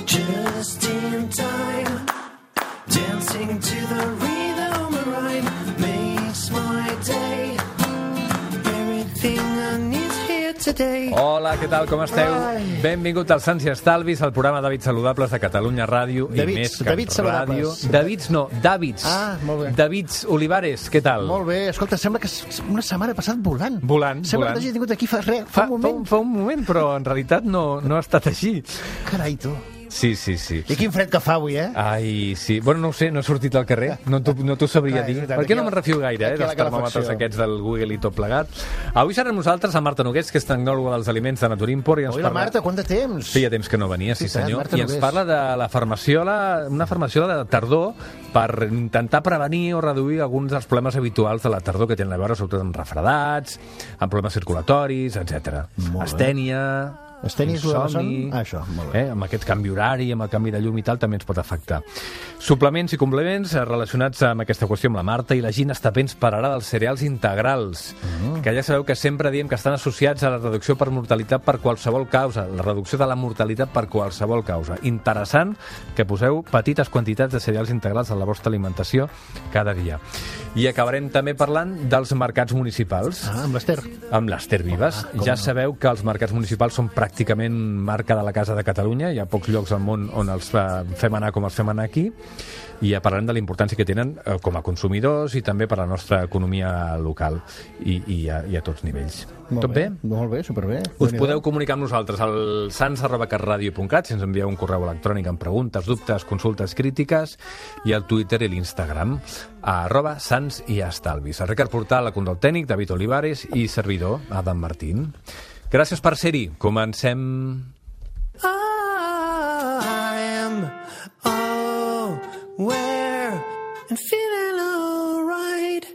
Just in time, dancing to the rhythm of rhyme makes my day. Everything I need here today. Hola, què tal, com esteu? Benvingut als Sants i Estalvis, al programa d'hàbits saludables de Catalunya Ràdio i més que ràdio. Davids. Ah, molt bé. Davids Olivares, què tal? Molt bé. Escolta, sembla que una setmana ha passat volant. Volant. Sembla que t'hagi tingut aquí fa un moment. Fa un moment, però en realitat no ha estat així. Carai, tu. Sí. I quin fred que fa avui, eh? Ai, sí. Bueno, no ho sé, no he sortit al carrer. No t'ho sabria dir. Per què no me'n refio gaire, dels termòmetres aquests del Google i tot plegat? Avui serà amb nosaltres la Marta Nogués, que és tecnòloga dels aliments de Naturimport. Oi, la Marta, quant de temps? Feia temps que no venia, sí senyor. I ens parla de la farmaciola, una farmaciola de tardor, per intentar prevenir o reduir alguns dels problemes habituals de la tardor que tenen a veure sobretot amb refredats, amb problemes circulatoris, etc. Astènia, insomni, això, molt bé. Amb aquest canvi horari, amb el canvi de llum i tal, també ens pot afectar. Suplements i complements relacionats amb aquesta qüestió amb la Marta, i la Gina està ben pararà dels cereals integrals, que ja sabeu que sempre diem que estan associats a la reducció per mortalitat per qualsevol causa, la reducció de la mortalitat per qualsevol causa. Interessant que poseu petites quantitats de cereals integrals a la vostra alimentació cada dia. I acabarem també parlant dels mercats municipals. Amb l'Ester. Amb l'Ester Vives. Ja sabeu que els mercats municipals són pràcticament marca de la Casa de Catalunya. Hi ha pocs llocs al món on els fem anar com els fem anar aquí. I ja parlarem de la importància que tenen com a consumidors i també per a la nostra economia local i a tots nivells. Tot bé? Molt bé, superbé. Us podeu comunicar amb nosaltres al sans@catradio.cat si ens envieu un correu electrònic amb preguntes, dubtes, consultes, crítiques, i al Twitter i l'Instagram @sansiestalvis. El Ricard Portal, la control tècnic, David Olivares i servidor, Adam Martín. Gràcies per ser-hi. Comencem. Where and feeling all right.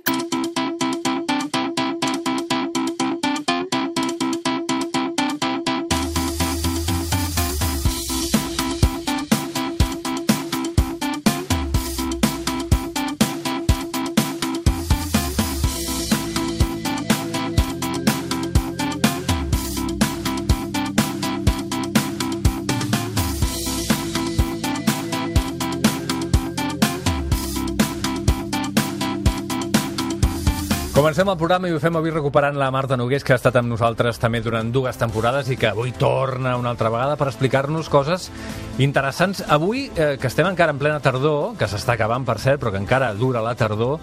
Comencem el programa i ho fem avui recuperant la Marta Nogués, que ha estat amb nosaltres també durant 2 temporades i que avui torna una altra vegada per explicar-nos coses interessants. Avui, que estem encara en plena tardor, que s'està acabant, per cert, però que encara dura la tardor,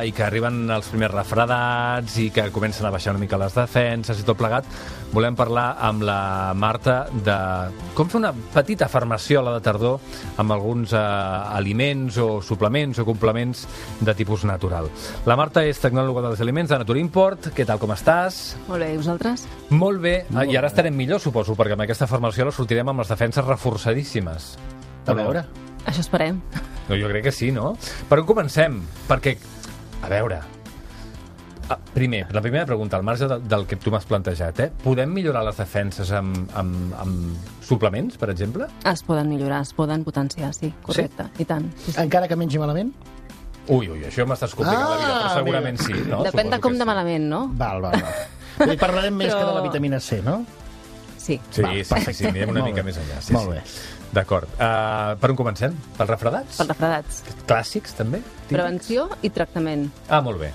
i que arriben els primers refredats i que comencen a baixar una mica les defenses i tot plegat, volem parlar amb la Marta de com fer una petita farmaciola de tardor amb alguns aliments o suplements o complements de tipus natural. La Marta és tecnòloga dels aliments de Naturimport. Què tal, com estàs? Molt bé, i vosaltres? Molt bé. I ara estarem millor, suposo, perquè amb aquesta farmaciola sortirem amb les defenses reforçadíssimes. A veure. Això esperem. No, jo crec que sí, no? Per on comencem? Perquè, a veure, primer, la primera pregunta, al marge del que tu m'has plantejat, podem millorar les defenses amb suplements, per exemple? Es poden millorar, es poden potenciar, sí, correcte, sí? I tant. Sí. Encara que mengi malament? Ui, això m'estàs complicant la vida, però segurament sí, no? Depèn de com de malament, no? Val. I parlarem més que de la vitamina C, no? Sí. Sí, anirem una mica més enllà. Molt bé. D'acord. Per on comencem? Pels refredats? Pels refredats. Clàssics, també? Prevenció i tractament. Molt bé.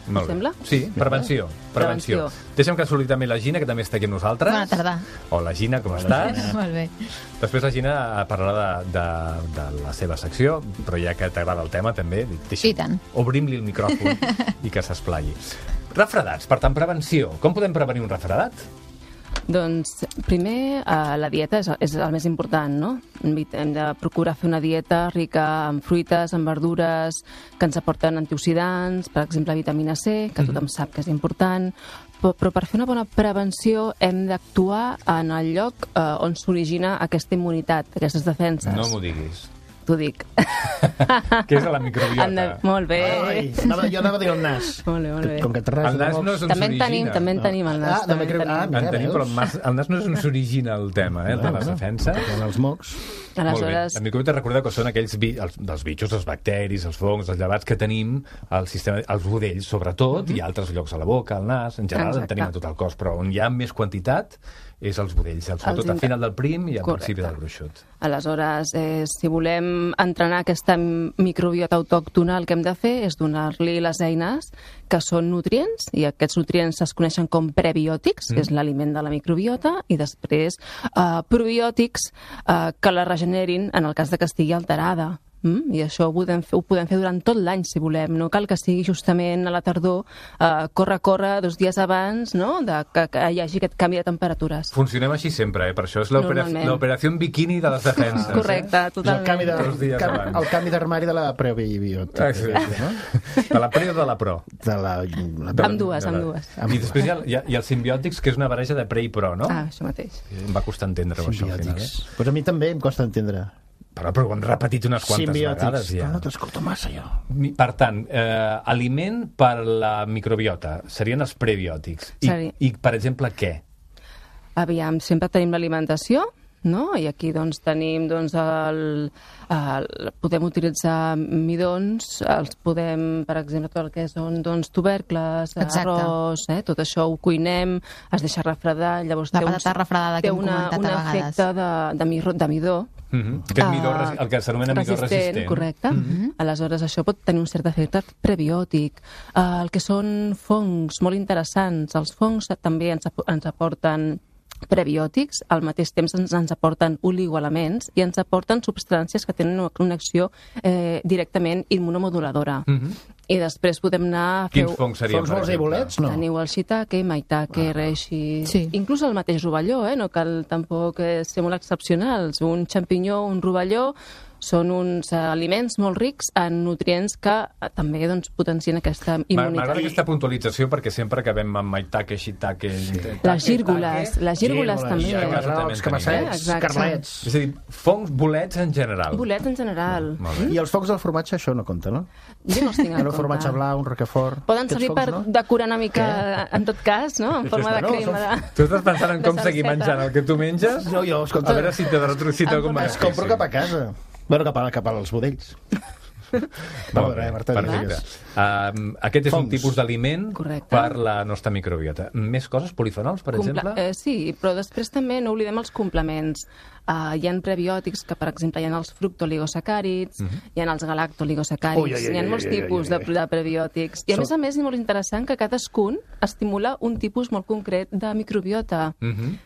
Molt sembla? Sí, prevenció. Deixa'm que saludi també la Gina, que també està aquí amb nosaltres. Bona tarda. Hola, Gina, com estàs? Molt bé. Després la Gina parlarà de la seva secció, però ja que t'agrada el tema, també, I tant. Obrim-li el micròfon i que s'esplai. Refredats, per tant, prevenció. Com podem prevenir un refredat? Doncs, primer, la dieta és el més important, no? Hem de procurar fer una dieta rica en fruites, en verdures, que ens aporten antioxidants, per exemple, vitamina C, que tothom sap que és important, però per fer una bona prevenció hem d'actuar en el lloc on s'origina aquesta immunitat, aquestes defenses. No m'ho diguis. t'ho dic. Què és la microbiota? Molt bé. Ai, jo anava a dir el nas. Molt bé, molt bé. Com que et ras El nas no és on També en tenim, s'origina. també en tenim el nas. també creu... en tenim. En tenim, però el nas no és on s'origina el tema, de les defenses. En els mocs. Molt bé. Aleshores, La microbiota recordeu que són aquells dels bitxos, els bacteris, els fongs, els llevats que tenim al sistema, als budells sobretot, i altres llocs a la boca, al nas, en general en Exacte. tenim a tot el cos, però on hi ha més quantitat és als budells, sobretot al final del prim i al principi del gruixut. aleshores si volem entrenar aquesta microbiota autòctona, el que hem de fer és donar-li les eines que són nutrients, i aquests nutrients es coneixen com prebiòtics, que és l'aliment de la microbiota, i després probiòtics que la regenerin en el cas de que estigui alterada. I això ho podem fer durant tot l'any, si volem. No cal que sigui justament a la tardor, córrer 2 dies abans, no?, que hi hagi aquest canvi de temperatures. Funcionem així sempre, per això és Normalment. l'operació en biquini de les defenses. Correcte, És el canvi totalment. Dos dies abans. d'armari de la prebiota. De la pre o de la pro? De la... Ambdues. I després hi ha els simbiòtics, que és una barreja de pre i pro, no? Això mateix. Em va costar entendre-ho, això, al final. Simbiòtics. Pues a mi també em costa entendre. Però ho hem repetit unes quantes vegades, ja. Però no t'escolto massa, jo. Per tant, aliment per la microbiota serien els prebiòtics. I per exemple, què? Aviam, sempre tenim l'alimentació, no? I aquí doncs tenim podem utilitzar midons, els podem, per exemple, tot el que són tubercles, arròs, tot això ho cuinem, es deixa refredar, llavors la patata refredada que hem comentat a vegades. Té un efecte de midó. Aquest midó, el que s'anomena midó resistent. Correcte. Aleshores, això pot tenir un cert efecte prebiòtic. El que són fongs molt interessants. Els fongs també ens aporten prebiòtics, al mateix temps ens aporten oligoelements i ens aporten substàncies que tenen una acció directament immunomoduladora. I després podem anar a fer... Quins fongs serien, Fongs molts i bolets, no? Teniu el shiitake, maitake, reishi... Sí. Inclús el mateix rovelló, no cal tampoc ser molt excepcionals. Un xampinyó, un rovelló, són uns aliments molt rics en nutrients que també potencien aquesta immunitat. M'agrada aquesta puntualització perquè sempre acabem amb maitake, shiitake... Les gírgoles també. Els camassets, carlets. És a dir, fongs, bolets en general. Bolets en general. I els fongs del formatge, això no compta, no? Jo no els tinc en compte. Un formatge blau, un roquefort... Poden servir per decorar una mica, en tot cas, no? En forma de crema. Tu estàs pensant en com seguir menjant el que tu menges? No, jo, escolta... A veure si té algun Es compro cap a casa. Bueno, cap als budells. Molt bé, perfecte. Aquest és un tipus d'aliment per la nostra microbiota. Més coses? Polifenols, per exemple? Sí, però després també no oblidem els complements. Hi ha prebiòtics que, per exemple, hi ha els fructoligosacàrids, hi ha els galactoligosacàrids, hi ha molts tipus de prebiòtics. I a més és molt interessant que cadascun estimula un tipus molt concret de microbiota.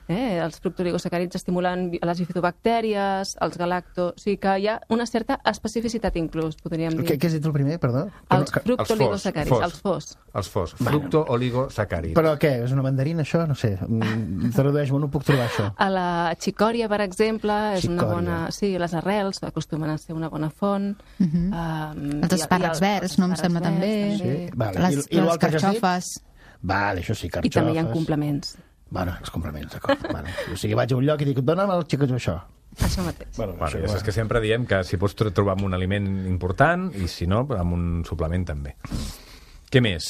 Els fructoligosacàrids estimulen les bifidobactèries, els galacto... O sigui que hi ha una certa especificitat inclús, podríem dir. Què has dit el primer, perdó? Els fructoligosacàrids, els FOS. Els FOS, fructooligosacàrids. Però què, és una mandarina, això? No sé, tradueix-m'ho, no puc trobar això. A la xicòria, per exemple, és una bona... Sí, les arrels acostumen a ser una bona font. Els espàrrecs verds, no em sembla també. Les carxofes. Vale, això sí, carxofes. I també hi ha complements. Bueno, els complements, d'acord. O sigui, vaig a un lloc i dic, dona'm el xicot això. Això mateix. És que sempre diem que si pots trobar amb un aliment important i si no, amb un suplement també. Què més?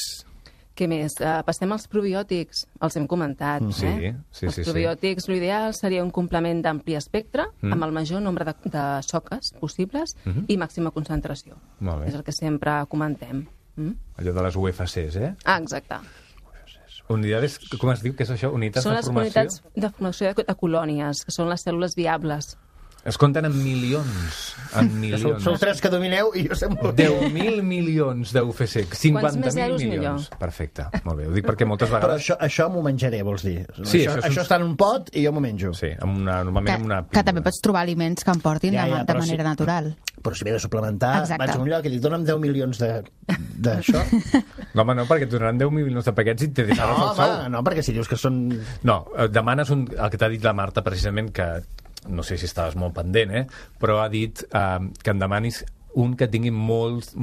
Què més? Passem als probiòtics. Els hem comentat. Sí. Els probiòtics, l'ideal seria un complement d'ampli espectre, amb el major nombre de soques possibles i màxima concentració. Molt bé. És el que sempre comentem. Allò de les UFCs, Exacte. Unidades, com es diu? Què és això? Unitats de formació? Són les unitats de formació de colònies, que són les cèl·lules viables. Es compten en milions. En milions. Sou 3 que domineu i jo sé molt. 10.000 milions d'UFC. 50.000 milions. Millor. Perfecte. Molt bé. Ho dic perquè moltes vegades... Però això m'ho menjaré, vols dir? Sí, això està en un pot i jo m'ho menjo. Sí, normalment amb una... Que també pots trobar aliments que em portin de manera natural. Però si m'he de suplementar, vaig a un lloc i dic, dona'm 10 milions d'això. No, home, no, perquè et donaran 10 milions de paquets i te deixaràs el sou. No, perquè si dius que són... No, demanes el que t'ha dit la Marta, precisament, que no sé si estaves molt pendent, però ha dit que em demanis un que tingui moltes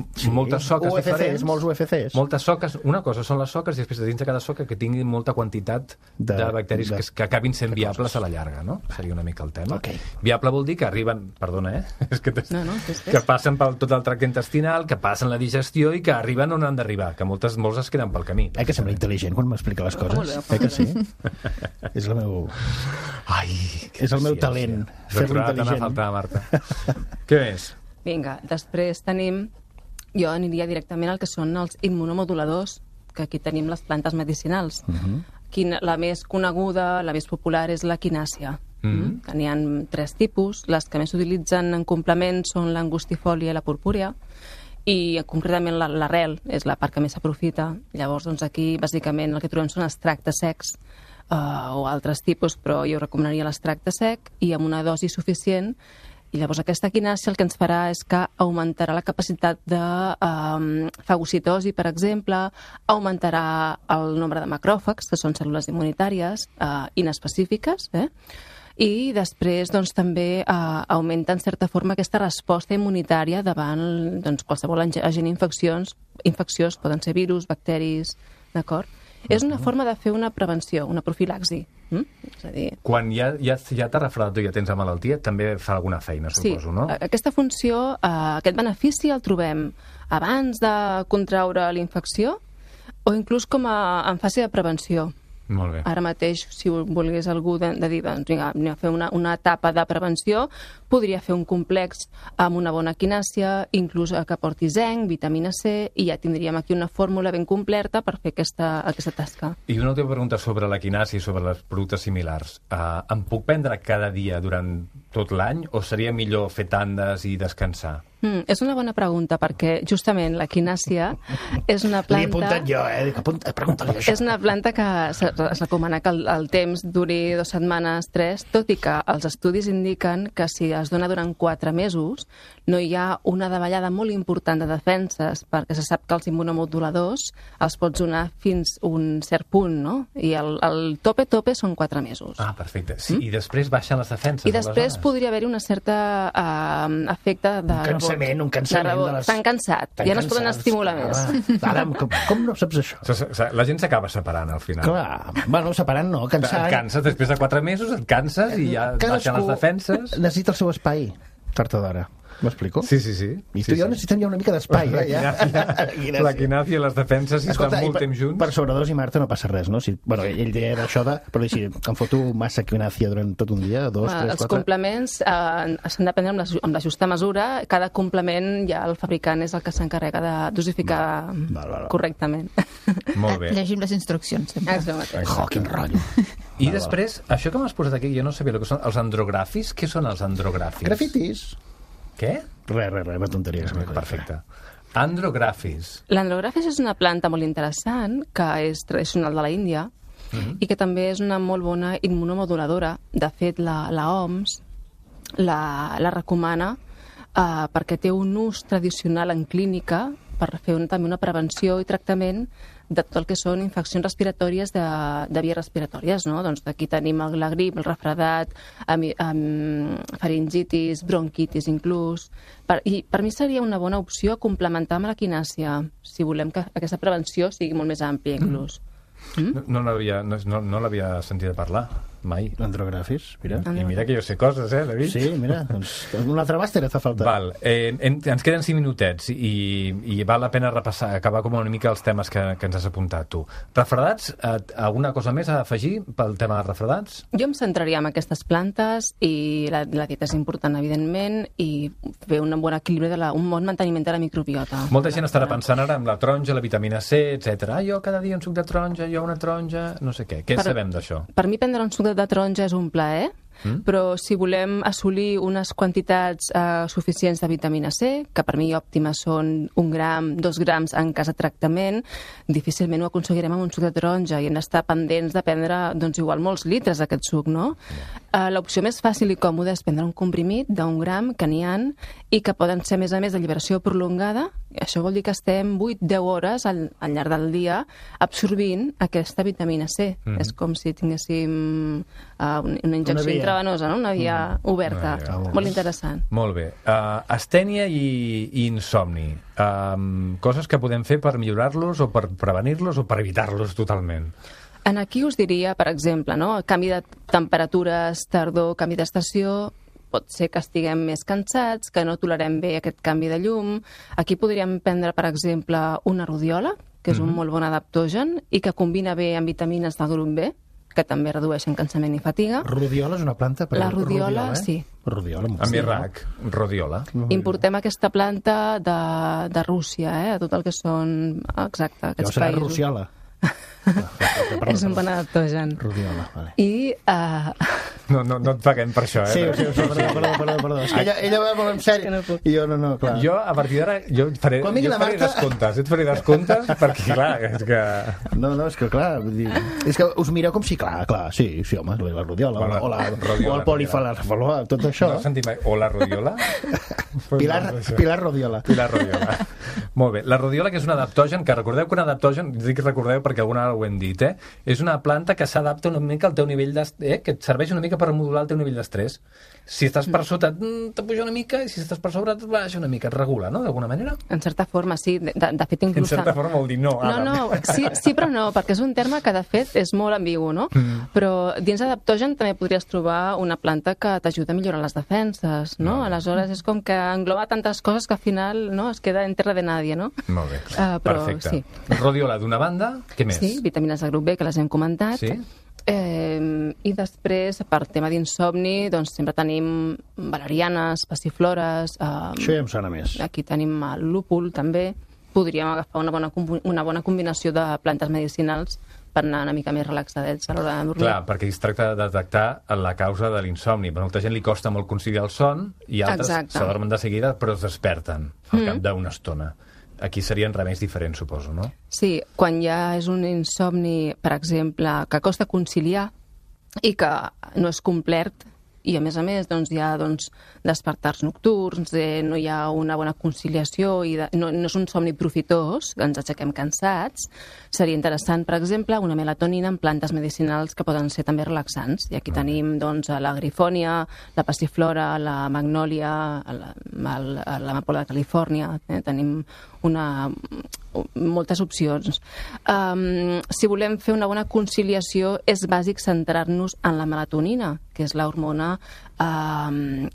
soques diferents. Molts UFCs. Moltes soques. Una cosa són les soques i després dins de cada soca que tingui molta quantitat de bacteris que acabin sent viables a la llarga, no? Seria una mica el tema. Okay. Viable vol dir que arriben... Perdona, és que que passen per tot el tracte intestinal, que passen la digestió i que arriben on han d'arribar, que molts es queden pel camí. Que sembla intel·ligent quan m'explica les coses. Que sí? És el meu... és el meu talent. Fer-lo intel·ligent. T'ha faltat, Marta. Què més? Vinga, després tenim... Jo aniria directament al que són els immunomoduladors, que aquí tenim les plantes medicinals. La més coneguda, la més popular, és la quinàcia. N'hi ha 3 tipus. Les que més s'utilitzen en complement són l'angustifòlia i la purpúrea, i concretament l'arrel és la part que més s'aprofita. Llavors, doncs, aquí, bàsicament, el que trobem són extractes secs o altres tipus, però jo recomanaria l'extracte sec i amb una dosi suficient. I llavors aquesta quinàcia el que ens farà és que augmentarà la capacitat de fagocitosi, per exemple, augmentarà el nombre de macròfags, que són cèl·lules immunitàries inespecífiques, i després doncs, també augmenta en certa forma aquesta resposta immunitària davant qualsevol agent infecciós, poden ser virus, bacteris, d'acord? És una forma de fer una prevenció, una profilaxi. És a dir... Quan ja t'ha refredat o ja tens la malaltia, també fa alguna feina, suposo, no? Sí, aquesta funció, aquest benefici el trobem abans de contraure la infecció o inclús com en fase de prevenció. Molt bé. Ara mateix, si volgués algú de dir, doncs vinga, anem a fer una etapa de prevenció, podria fer un complex amb una bona quinàcia, inclús que porti zinc, vitamina C, i ja tindríem aquí una fórmula ben completa per fer aquesta tasca. I una última pregunta sobre la quinàcia i sobre les productes similars. Em puc prendre cada dia durant tot l'any o seria millor fer tandes i descansar? És una bona pregunta, perquè justament la quinàcia és una planta... L'he apuntat jo, pregunta-li això. És una planta que es recomana que el temps duri 2 setmanes, 3, tot i que els estudis indiquen que si es dona durant 4 mesos no hi ha una davallada molt important de defenses, perquè se sap que els immunomoduladors els pots donar fins un cert punt, no? I el tope són 4 mesos. Ah, perfecte. Sí, i després baixen les defenses. I després podria haver-hi una certa efecte de un cansament de les... Estan cansat, ja no es poden estimular més. Ara, com no saps això? La gent s'acaba separant al final. Clar, bueno, separant no, cansant. Et canses, després de 4 mesos et canses i ja baixen les defenses. Necessita el seu espai, tard o d'hora. M'explico? Sí. I tu i jo necessitem ja una mica d'espai. La quinàcia i les defenses, si estan molt temps junts... Per sobredosi, Marta, no passa res, no? Bueno, ell deia d'això però si em foto massa quinàcia durant tot un dia, 2, 3, 4... Els complements s'han de prendre amb la justa mesura. Cada complement ja el fabricant és el que s'encarrega de dosificar correctament. Molt bé. Llegim les instruccions, sempre. Quin rotllo. I després, això que m'has posat aquí, jo no sabia el que són els andrografis. Què són els andrografis? Grafitis. Què? Res, una tonteria. Perfecte. Andrografis. L'andrografis és una planta molt interessant, que és tradicional de la Índia, i que també és una molt bona immunomoduladora. De fet, la OMS la recomana perquè té un ús tradicional en clínica per fer també una prevenció i tractament de tot el que són infeccions respiratòries de vies respiratòries, no? Doncs aquí tenim la grip, el refredat, faringitis, bronquitis inclús. I per mi seria una bona opció complementar amb la quinàcia, si volem que aquesta prevenció sigui molt més àmplia inclús. No l'havia sentit a parlar mai. L'andrografis, mira. I mira que jo sé coses, David? Sí, mira, doncs un altre màster et fa falta. Val, ens queden 5 minutets i val la pena repassar, acabar com una mica els temes que ens has apuntat tu. Refredats, alguna cosa més a afegir pel tema de refredats? Jo em centraria en aquestes plantes i la dieta és important, evidentment, i fer un bon equilibri, un bon manteniment de la microbiota. Molta gent estarà pensant ara en la taronja, la vitamina C, etc. Jo cada dia un suc de taronja, jo una taronja, no sé què. Què sabem d'això? Per mi prendre un suc de taronja és un plaer, però si volem assolir unes quantitats suficients de vitamina C, que per mi òptimes són 1 gram, 2 grams en cas de tractament, difícilment ho aconseguirem amb un suc de taronja i hem d'estar pendents de prendre, doncs, igual molts litres d'aquest suc, no? L'opció més fàcil i còmoda és prendre un comprimit d'1 gram que n'hi ha i que poden ser, a més de lliberació prolongada. Això vol dir que estem 8-10 hores al llarg del dia absorbint aquesta vitamina C. És com si tinguéssim una injecció intravenosa, no? Una via oberta. Molt interessant. Molt bé. Astènia i insomni. Coses que podem fer per millorar-los o per prevenir-los o per evitar-los totalment? Aquí us diria, per exemple, no? Canvi de temperatures, tardor, canvi d'estació, pot ser que estiguem més cansats, que no tolerem bé aquest canvi de llum. Aquí podríem prendre, per exemple, una rodiola, que és un molt bon adaptogen i que combina bé amb vitamines del grup B, que també redueixen cansament i fatiga. Rodiola és una planta? La rodiola, sí. Rodiola, amb Iraq, rodiola. Importem aquesta planta de Rússia, tot el que són, exacte, aquests països. Serà ruciola. És un bon adaptogen. Rodiola, vale. I... No et paguem per això, Sí, perdó. És que ella va molt en sèrio. I jo no, clar. Jo, a partir d'ara, et faré descomptes, perquè, clar, és que... No, és que, clar, és que us mireu com si, clar, sí, home, la rodiola, o el polifalafaloa, tot això. No sentim mai, o la rodiola? Pilar Rodiola. Pilar Rodiola. Molt bé. La rodiola, que és un adaptogen, que recordeu que un adaptogen, dic recordeu perquè alguna vegada ho hem dit, és una planta que s'adapta una mica al teu nivell d'estrès, que et serveix una mica per modular el teu nivell d'estrès. Si estàs per sota, t'apuja una mica, i si estàs per sobre, et baixa una mica, et regula, no?, d'alguna manera? En certa forma, sí. De fet, inclús... En certa forma vol dir no. No, sí, però no, perquè és un terme que, de fet, és molt ambigu, no? Però dins d'adaptogen també podries trobar una planta que t'ajuda a millorar les defenses, no? Aleshores, és com que engloba tantes coses que al final es queda en terra de nadie, no? Molt bé, perfecte. Sí. Rodiola d'una banda, què més? Sí, vitamines de grup B, que les hem comentat. Sí. I després, per tema d'insomni, doncs sempre tenim valerianes, passiflores... Això ja em sona més. Aquí tenim el lúpul, també. Podríem agafar una bona combinació de plantes medicinals per anar una mica més relaxadets a l'hora de dormir. Clar, perquè es tracta de detectar la causa de l'insomni. A molta gent li costa molt conciliar el son i altres s'adormen de seguida però es desperten al cap d'una estona. Aquí serien remeis diferents, suposo, no? Sí, quan ja és un insomni, per exemple, que costa conciliar i que no és complet, i a més, doncs, hi ha despertars nocturns, no hi ha una bona conciliació, i no és un somni profitós, ens aixequem cansats, seria interessant, per exemple, una melatonina en plantes medicinals que poden ser també relaxants. I aquí tenim la grifònia, la passiflora, la magnòlia, l'amapola de Califòrnia, tenim moltes opcions. Si volem fer una bona conciliació, és bàsic centrar-nos en la melatonina, que és l'hormona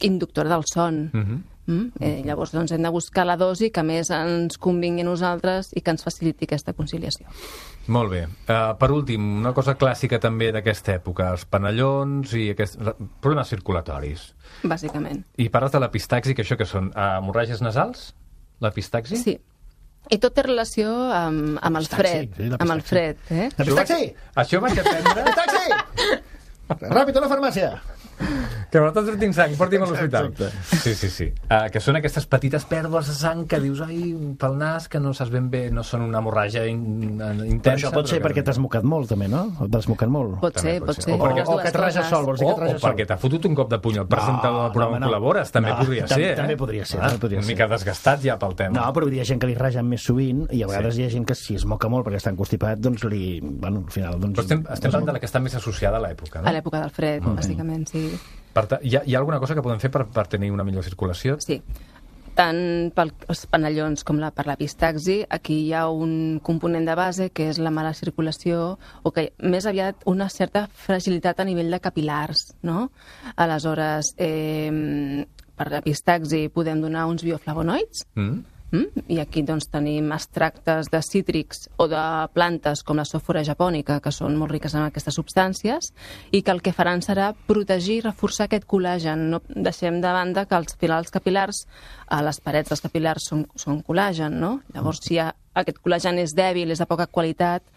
inductora del son. Llavors, hem de buscar la dosi que més ens convingui a nosaltres i que ens faciliti aquesta conciliació. Molt bé. Per últim, una cosa clàssica també d'aquesta època, els panellons i problemes circulatoris. Bàsicament. I parles de l'epistaxi, que això que són hemorràgies nasals? L'epistaxi? Sí. I tot té relació amb el fred. Amb el fred, Epistaxi! Això vaig aprendre... Epistaxi! Ràpid, a la farmàcia! Que m'està sortint sang, porti'm a l'hospital. Sí. Que són aquestes petites pèrdues de sang que dius, ai, pel nas, que no saps ben bé, no són una hemorràgia intensa. Però això pot ser perquè t'has mocat molt, també, no? O t'has mocat molt. Pot ser. O que et rages sol, vols dir que et rages sol. O perquè t'ha fotut un cop de puny al presentador del programa on col·labores, també podria ser. També podria ser. Una mica desgastat ja pel tema. No, però hi ha gent que li ragen més sovint i a vegades hi ha gent que si es moca molt perquè està encostipat, doncs al final... Però estem parlant de la que està més associada a l'època, no? A l'època del fred, bàsicament, sí. Hi ha alguna cosa que podem fer per tenir una millor circulació? Sí. Tant pels panellons com per l'epistaxi, aquí hi ha un component de base que és la mala circulació, o que més aviat una certa fragilitat a nivell de capilars, no? Aleshores, per l'epistaxi podem donar uns bioflavonoids, i aquí tenim extractes de cítrics o de plantes com la sòfora japònica, que són molt riques en aquestes substàncies i que el que faran serà protegir i reforçar aquest col·làgen. No deixem de banda que als capil·lars, a les parets dels capil·lars són col·làgen, no? Llavors, si aquest col·làgen és dèbil, és de poca qualitat,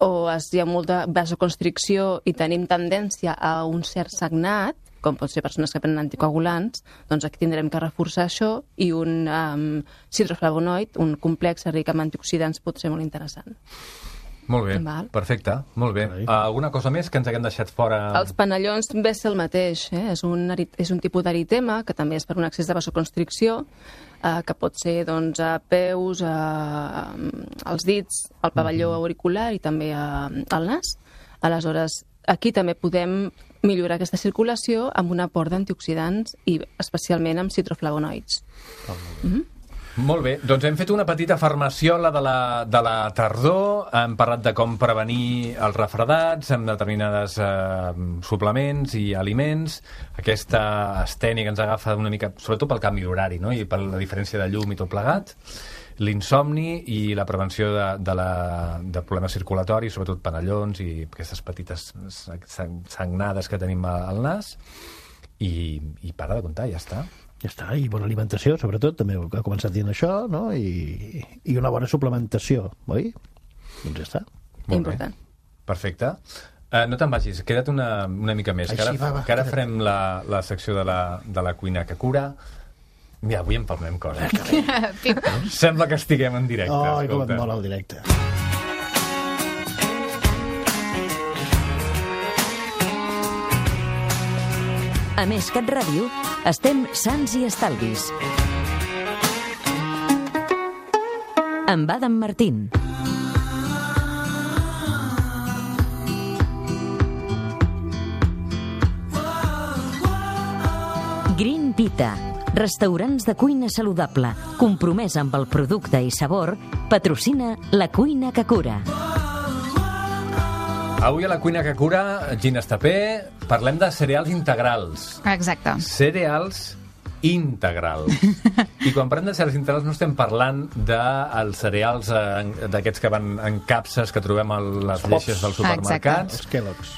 o hi ha molta vasoconstricció i tenim tendència a un cert sagnat, com pot ser persones que prenen anticoagulants, doncs aquí tindrem que reforçar això i un citroflavonoid, un complex ric amb antioxidants, pot ser molt interessant. Molt bé, perfecte, molt bé. Alguna cosa més que ens haguem deixat fora? Els panellons ve ser el mateix, és un tipus d'eritema que també és per un excés de vasoconstricció, que pot ser doncs, a peus, als dits, al pavelló auricular i també al nas. Aleshores, aquí també podem millorar aquesta circulació amb un aport d'antioxidants i especialment amb citroflavonoids. Molt bé, doncs hem fet una petita farmaciola de la tardor, hem parlat de com prevenir els refredats amb determinades suplements i aliments, aquesta astènia que ens agafa una mica, sobretot pel canvi horari, no? I per la diferència de llum i tot plegat, l'insomni i la prevenció de problemes circulatoris, sobretot panellons i aquestes petites sagnades que tenim al nas, i para de comptar, ja està. Ja està, i bona alimentació, sobretot, també ha començat dient això, no? I una bona suplementació, oi? Doncs ja està. Important. Perfecte. No te'n vagis, queda't una mica més, que ara farem la secció de la cuina que cura. Mira, avui empalmem coses. Sembla que estiguem en directe. Oh, com et mola el directe. A Més Cat Ràdio, estem sants i estalvis. Amb Adam Martín. Green Vita, restaurants de cuina saludable, compromès amb el producte i sabor, patrocina la cuina que cura. Avui a la cuina que cura, Gina Estapé, parlem de cereals integrals. Exacte. Cereals integrals. I quan parlem de cereals integrals no estem parlant dels cereals d'aquests que van en capses que trobem a les lleixes dels supermercats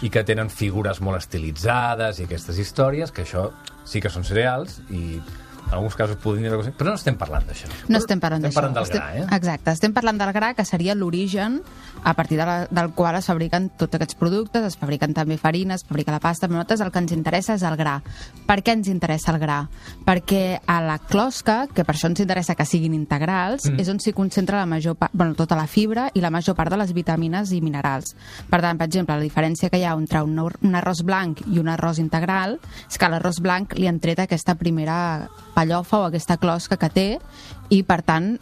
i que tenen figures molt estilitzades i aquestes històries, que això sí que són cereals i en alguns casos podrien dir cosa, però no estem parlant d'això. No estem parlant d'això. Estem parlant del gra, Exacte, estem parlant del gra, que seria l'origen a partir del qual es fabriquen tots aquests productes, es fabriquen també farines, es fabrica la pasta, però nosaltres el que ens interessa és el gra. Per què ens interessa el gra? Perquè a la closca, que per això ens interessa que siguin integrals, és on s'hi concentra la major part, tota la fibra i la major part de les vitamines i minerals. Per tant, per exemple, la diferència que hi ha entre un arròs blanc i un arròs integral és que a l'arròs blanc li han tret aquesta primera pallofa o aquesta closca que té i, per tant,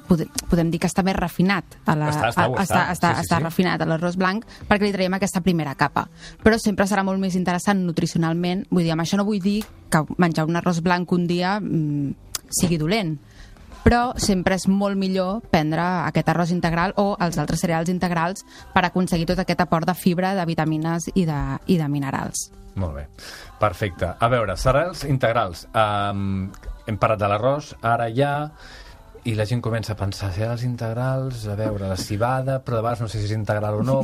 podem dir que està més refinat. Està refinat a l'arròs blanc perquè li traiem aquesta primera capa. Però sempre serà molt més interessant nutricionalment. Vull dir, amb això no vull dir que menjar un arròs blanc un dia sigui dolent, però sempre és molt millor prendre aquest arròs integral o els altres cereals integrals per aconseguir tot aquest aport de fibra, de vitamines i de minerals. Molt bé, perfecte. A veure, cereals integrals. Hem parlat de l'arròs, ara ja... I la gent comença a pensar, cereals integrals, a veure, la cibada, però de vegades no sé si és integral o no,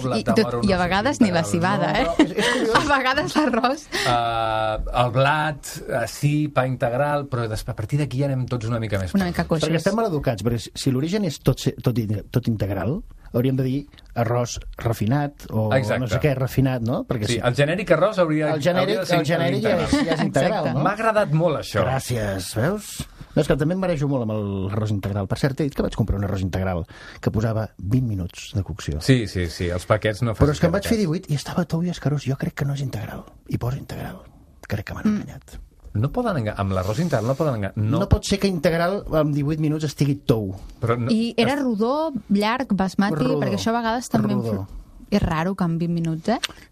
I a vegades ni la cibada, A vegades l'arròs... El blat, sí, pa integral, però a partir d'aquí ja anem tots una mica més. Una mica coixos. Perquè estem mal educats, perquè si l'origen és tot integral, hauríem de dir arròs refinat o no sé què, refinat, no? Perquè sí, el genèric arròs hauria de ser integral. El genèric ja és integral, no? M'ha agradat molt això. Gràcies, veus? No, és que també em marejo molt amb l'arròs integral. Per cert, he dit que vaig comprar un arròs integral que posava 20 minuts de cocció. Sí, els paquets no... Però és que em vaig fer 18 i estava tou i escarós. Jo crec que no és integral. I posa integral. Crec que m'han enganyat. No poden enganyar, amb l'arròs integral no poden enganyar. No pot ser que integral en 18 minuts estigui tou. I era rodó, llarg, basmati, perquè això a vegades també... És raro que en 20 minuts,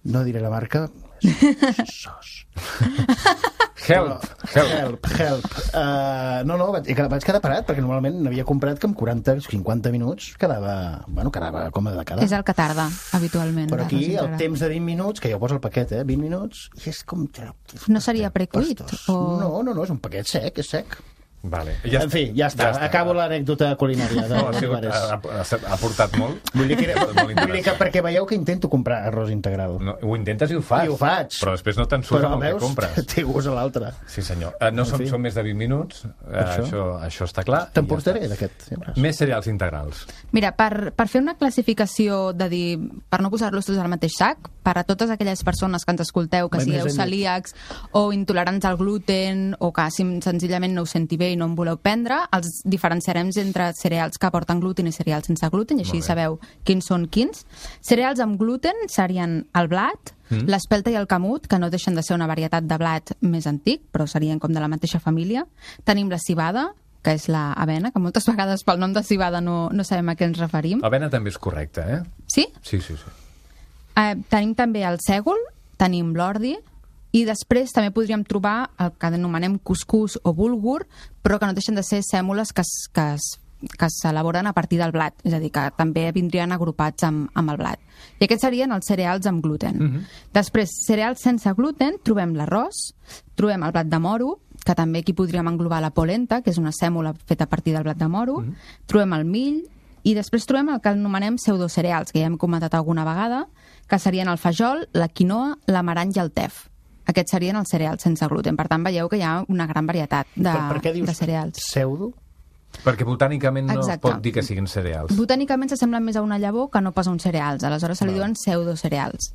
No diré la marca... Sos. Help. No, vaig quedar parat, perquè normalment n'havia comprat que en 40-50 minuts quedava com de cada. És el que tarda, habitualment. Però aquí el temps de 20 minuts, que ja ho posa el paquet, 20 minuts, i és com... No seria precuit? No, és un paquet sec, és sec. Vale. En fi, ja està. Acabo l'anècdota culinària. Ha portat molt. Vull dir que perquè veieu que intento comprar arròs integral. No, ho intentes i ho fas. I ho faig. Però després no te'n surt amb el que compres. Però té gust a l'altre. Sí, senyor. Són més de 20 minuts. Això està clar. Te'n portaré d'aquest. Més cereals integrals. Mira, per fer una classificació de dir, per no posar-los tots al mateix sac, per a totes aquelles persones que ens escolteu, que sigueu celíacs o intolerants al gluten o que senzillament no us senti bé bé i no en voleu prendre, els diferenciarem entre cereals que porten gluten i cereals sense gluten, i així sabeu quins són quins. Cereals amb gluten serien el blat, l'espelta i el camut, que no deixen de ser una varietat de blat més antic, però serien com de la mateixa família. Tenim la civada, que és l'avena, que moltes vegades pel nom de civada no sabem a què ens referim. Avena també és correcte, eh? Sí? Sí. Tenim també el sègol, tenim l'ordi, i després també podríem trobar el que anomenem cuscús o bulgur, però que no deixen de ser sèmoles que s'elaboren a partir del blat, és a dir, que també vindrien agrupats amb el blat. I aquests serien els cereals amb gluten. Després, cereals sense gluten, trobem l'arròs, trobem el blat de moro, que també aquí podríem englobar la polenta, que és una sèmola feta a partir del blat de moro, trobem el mill, i després trobem el que anomenem pseudocereals, que ja hem comentat alguna vegada, que serien el fajol, la quinoa, l'amarany i el tef. Aquests serien els cereals sense gluten. Per tant, veieu que hi ha una gran varietat de cereals. Per què dius pseudo? Perquè botànicament no es pot dir que siguin cereals. Botànicament s'assemblen més a una llavor que no pas a uns cereals. Aleshores se li diuen pseudocereals.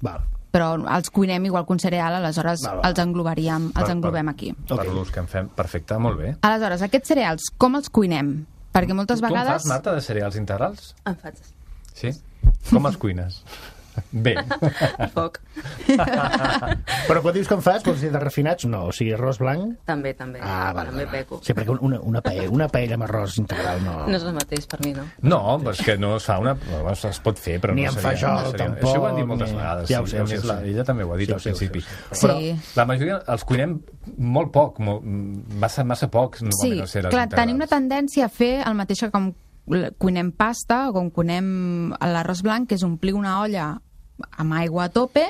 Però els cuinem igual que un cereal, aleshores els englobem aquí. Per l'ús que en fem, perfecte, molt bé. Aleshores, aquests cereals, com els cuinem? Perquè moltes vegades... Tu en fas, Marta, de cereals integrals? En faig. Sí? Com els cuines? Bé. Poc. Però quan dius que en fas, vols dir de refinats? No, o sigui, arròs blanc... També. També peco. Sí, perquè una paella amb arròs integral no... No és el mateix per mi, no? No, és que no es fa una... Es pot fer, però ni no seria... Ni en fajol, tampoc... Això ho han dit moltes vegades. Ja ho sé. Ella també ho ha dit al principi. Però la majoria els cuinem molt poc, massa pocs. Sí, clar, tenim una tendència a fer el mateix que com cuinem pasta o com cuinem l'arròs blanc, que és omplir una olla amb aigua a tope,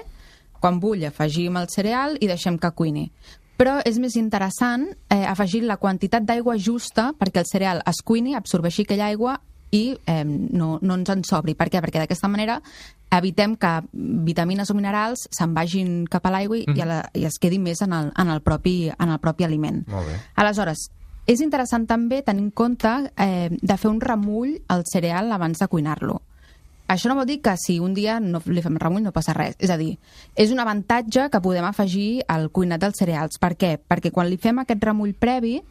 quan bull afegim el cereal i deixem que cuini. Però és més interessant afegir la quantitat d'aigua justa perquè el cereal es cuini, absorbeixi aquella aigua i no ens en sobri. Per què? Perquè d'aquesta manera evitem que vitamines o minerals se'n vagin cap a l'aigua i es quedi més en el propi aliment. Molt bé. Aleshores, és interessant també tenir en compte de fer un remull al cereal abans de cuinar-lo. Això no vol dir que si un dia no li fem remull no passa res. És a dir, és un avantatge que podem afegir al cuinat dels cereals. Per què? Perquè quan li fem aquest remull previ,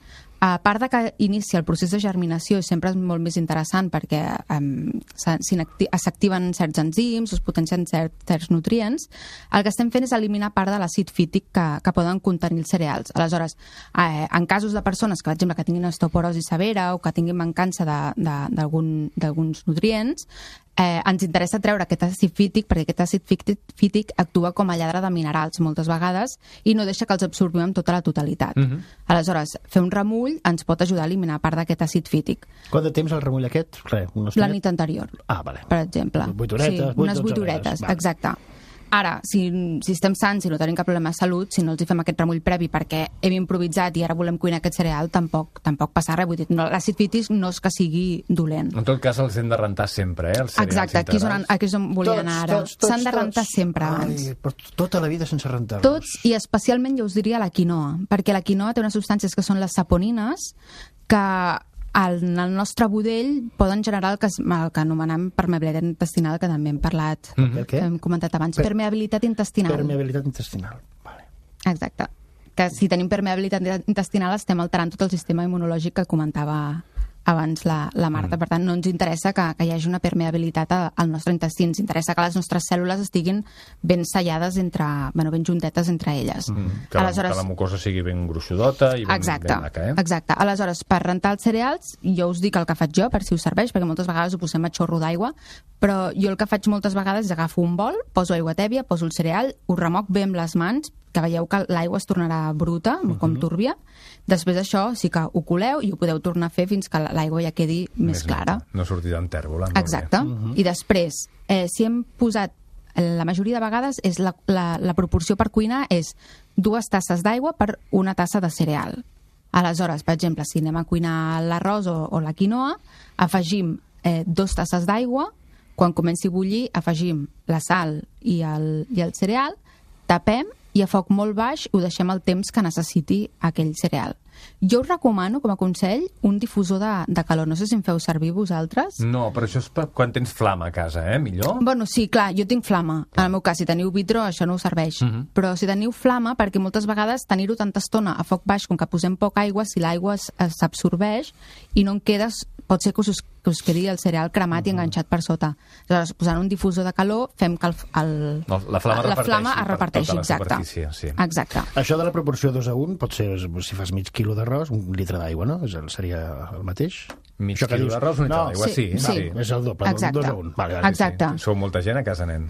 a part de que inicia el procés de germinació, i sempre és molt més interessant perquè s'activen certs enzims, es potencien certs nutrients, el que estem fent és eliminar part de l'àcid fític que poden contenir els cereals. Aleshores, en casos de persones que, per exemple, que tinguin osteoporosi severa o que tinguin mancança d'alguns nutrients, ens interessa treure aquest àcid fític perquè aquest àcid fític actua com a lladre de minerals moltes vegades i no deixa que els absorbim amb tota la totalitat. Aleshores, fer un remull ens pot ajudar a eliminar part d'aquest àcid fític. Quant de temps el remull aquest? La nit anterior, vale. per exemple. 8 horetes, unes 8 horetes, exacte. Ara, si estem sans i no tenim cap problema de salut, si no els fem aquest remull previ perquè hem improvisat i ara volem cuinar aquest cereal, tampoc passa res. Vull dir, l'àcid fític no és que sigui dolent. En tot cas, els hem de rentar sempre, els cereals exacte, aquí és on volia anar ara. S'han de rentar sempre abans. Però tota la vida sense rentar-los. Tots, i especialment jo us diria la quinoa, perquè la quinoa té unes substàncies que són les saponines, que en el nostre budell poden generar el que anomenem permeabilitat intestinal, que també hem parlat, que hem comentat abans. Permeabilitat intestinal. Permeabilitat intestinal, vale. Exacte. Que si tenim permeabilitat intestinal estem alterant tot el sistema immunològic que comentava abans la Marta. Per tant, no ens interessa que hi hagi una permeabilitat al nostre intestí. Ens interessa que les nostres cèl·lules estiguin ben sellades ben juntetes entre elles. Que la mucosa sigui ben gruixudota i ben maca, Exacte. Aleshores, per rentar els cereals, jo us dic el que faig jo, per si us serveix, perquè moltes vegades ho posem a xorro d'aigua, però jo el que faig moltes vegades és agafo un bol, poso aigua tèbia, poso el cereal, ho remoc bé amb les mans, que veieu que l'aigua es tornarà bruta, com túrbia. Després d'això sí que ho coleu i ho podeu tornar a fer fins que l'aigua ja quedi més clara. No sortirà en tèrbola. Exacte. I després, si hem posat, la majoria de vegades, la proporció per cuinar és 2 tasses d'aigua per 1 tassa de cereal. Aleshores, per exemple, si anem a cuinar l'arròs o la quinoa, afegim 2 tasses d'aigua, quan comenci a bullir afegim la sal i el cereal, tapem i a foc molt baix ho deixem el temps que necessiti aquell cereal. Jo us recomano, com a consell, un difusor de calor. No sé si en feu servir vosaltres. No, però això és quan tens flama a casa, millor? Bueno, sí, clar, jo tinc flama. En el meu cas, si teniu vidre, això no us serveix. Però si teniu flama, perquè moltes vegades tenir-ho tanta estona a foc baix, com que posem poca aigua, si l'aigua s'absorbeix i no en quedes, pot ser que us quedi el cereal cremat i enganxat per sota. Aleshores, posant un difusor de calor, fem que la flama es reparteixi, tota exacte. Sí. Exacte. Això de la proporció 2:1 pot ser, si fas mig quilo d'arròs, un litre d'aigua, no? Seria el mateix? Mig quilo d'arròs, un litre d'aigua, sí. És el doble, 2:1. Vale, exacte. Sou molta gent a casa, nen.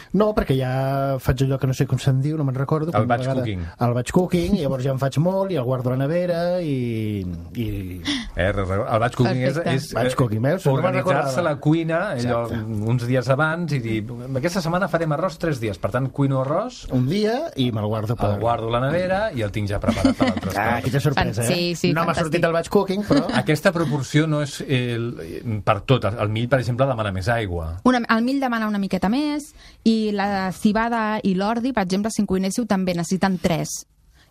No, perquè ja faig allò que no sé com se'n diu, no me'n recordo. El batch cooking. El batch cooking, i llavors ja en faig molt, i el guardo a la nevera, i... El batch cooking és batch cooking, veus? Organitzar-se la cuina uns dies abans i dir, aquesta setmana farem arròs 3 dies, per tant, cuino arròs... Un dia, i me'l guardo per... El guardo a la nevera i el tinc ja preparat per l'altre estat. Quina sorpresa, Sí, no m'ha sortit el batch cooking, però... Aquesta proporció no és per tot. El mill, per exemple, demana més aigua. El mill demana una miqueta més, i la civada i l'ordi, per exemple, si en cuinéssiu, també necessiten 3.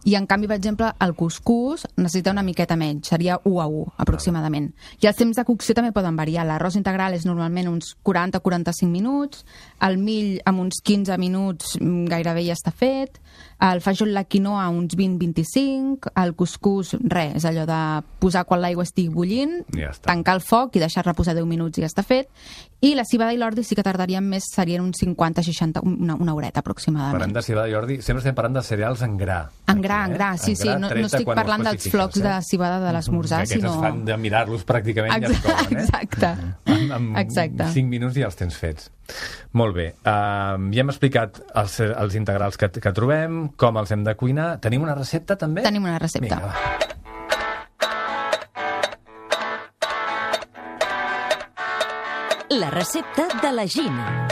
I, en canvi, per exemple, el cuscús necessita una miqueta menys, seria 1:1, aproximadament. I els temps de cocció també poden variar. L'arròs integral és normalment uns 40-45 minuts, el mill amb uns 15 minuts gairebé ja està fet, el fajol, la quinoa, uns 20-25, el cuscús, res, és allò de posar quan l'aigua estigui bullint, tancar el foc i deixar reposar 10 minuts i ja està fet, i la civada i l'ordi sí que tardarien més, serien uns 50-60, una horeta aproximadament. Parlant de civada i ordi, sempre estem parlant de cereals en gra. En gra, sí, no estic parlant dels flocs de cibada de l'esmorzar, sinó... Aquests es fan de mirar-los pràcticament i es couen, Exacte. En 5 minuts ja els tens fets. Molt bé. Ja hem explicat els integrals que trobem, com els hem de cuinar. Tenim una recepta, també? Tenim una recepta. Vinga, va. La recepta de la Gina.